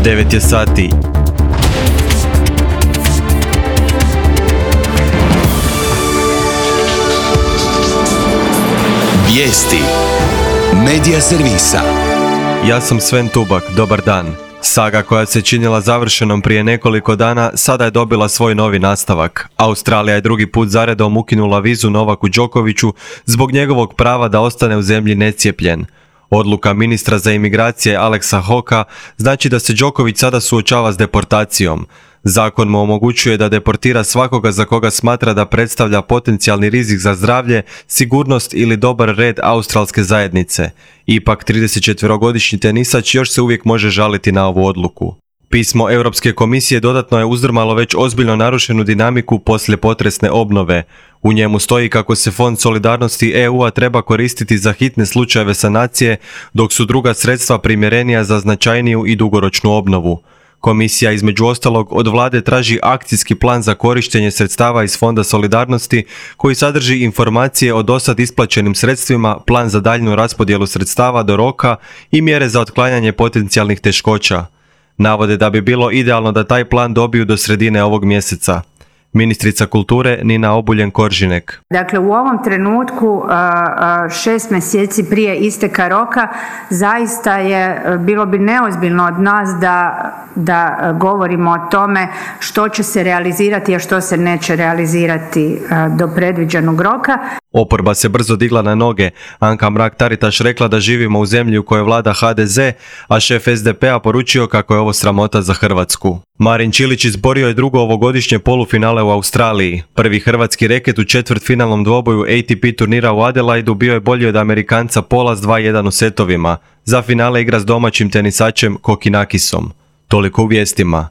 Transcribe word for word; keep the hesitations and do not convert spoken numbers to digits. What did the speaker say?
devet je sati. Vijesti Medija servisa. Ja sam Sven Tubak, dobar dan. Saga koja se činila završenom prije nekoliko dana sada je dobila svoj novi nastavak. Australija je drugi put zaredom ukinula vizu Novaku Đokoviću zbog njegovog prava da ostane u zemlji necijepljen. Odluka ministra za imigracije Alexa Hawkea znači da se Đoković sada suočava s deportacijom. Zakon mu omogućuje da deportira svakoga za koga smatra da predstavlja potencijalni rizik za zdravlje, sigurnost ili dobar red australske zajednice. Ipak tridesetčetverogodišnji tenisač još se uvijek može žaliti na ovu odluku. Pismo Europske komisije dodatno je uzdrmalo već ozbiljno narušenu dinamiku poslije potresne obnove. U njemu stoji kako se Fond solidarnosti E U-a treba koristiti za hitne slučajeve sanacije, dok su druga sredstva primjerenija za značajniju i dugoročnu obnovu. Komisija između ostalog od vlade traži akcijski plan za korištenje sredstava iz Fonda solidarnosti koji sadrži informacije o dosad isplaćenim sredstvima, plan za daljnju raspodjelu sredstava do roka i mjere za otklanjanje potencijalnih teškoća. Navode da bi bilo idealno da taj plan dobiju do sredine ovog mjeseca. Ministrica kulture Nina Obuljen-Koržinek. Dakle, u ovom trenutku, šest mjeseci prije isteka roka, zaista je, bilo bi neozbiljno od nas da, da govorimo o tome što će se realizirati, a što se neće realizirati do predviđenog roka. Oporba se brzo digla na noge. Anka Mrak-Taritaš rekla da živimo u zemlji u kojoj vlada ha de ze, a šef es de pe-a poručio kako je ovo sramota za Hrvatsku. Marin Čilić izborio je drugo ovogodišnje polufinale u Australiji. Prvi hrvatski reket u četvrtfinalnom dvoboju A T P turnira u Adelaidu bio je bolji od Amerikanca Pola s dva jedan u setovima. Za finale igra s domaćim tenisačem Kokinakisom. Toliko u vijestima.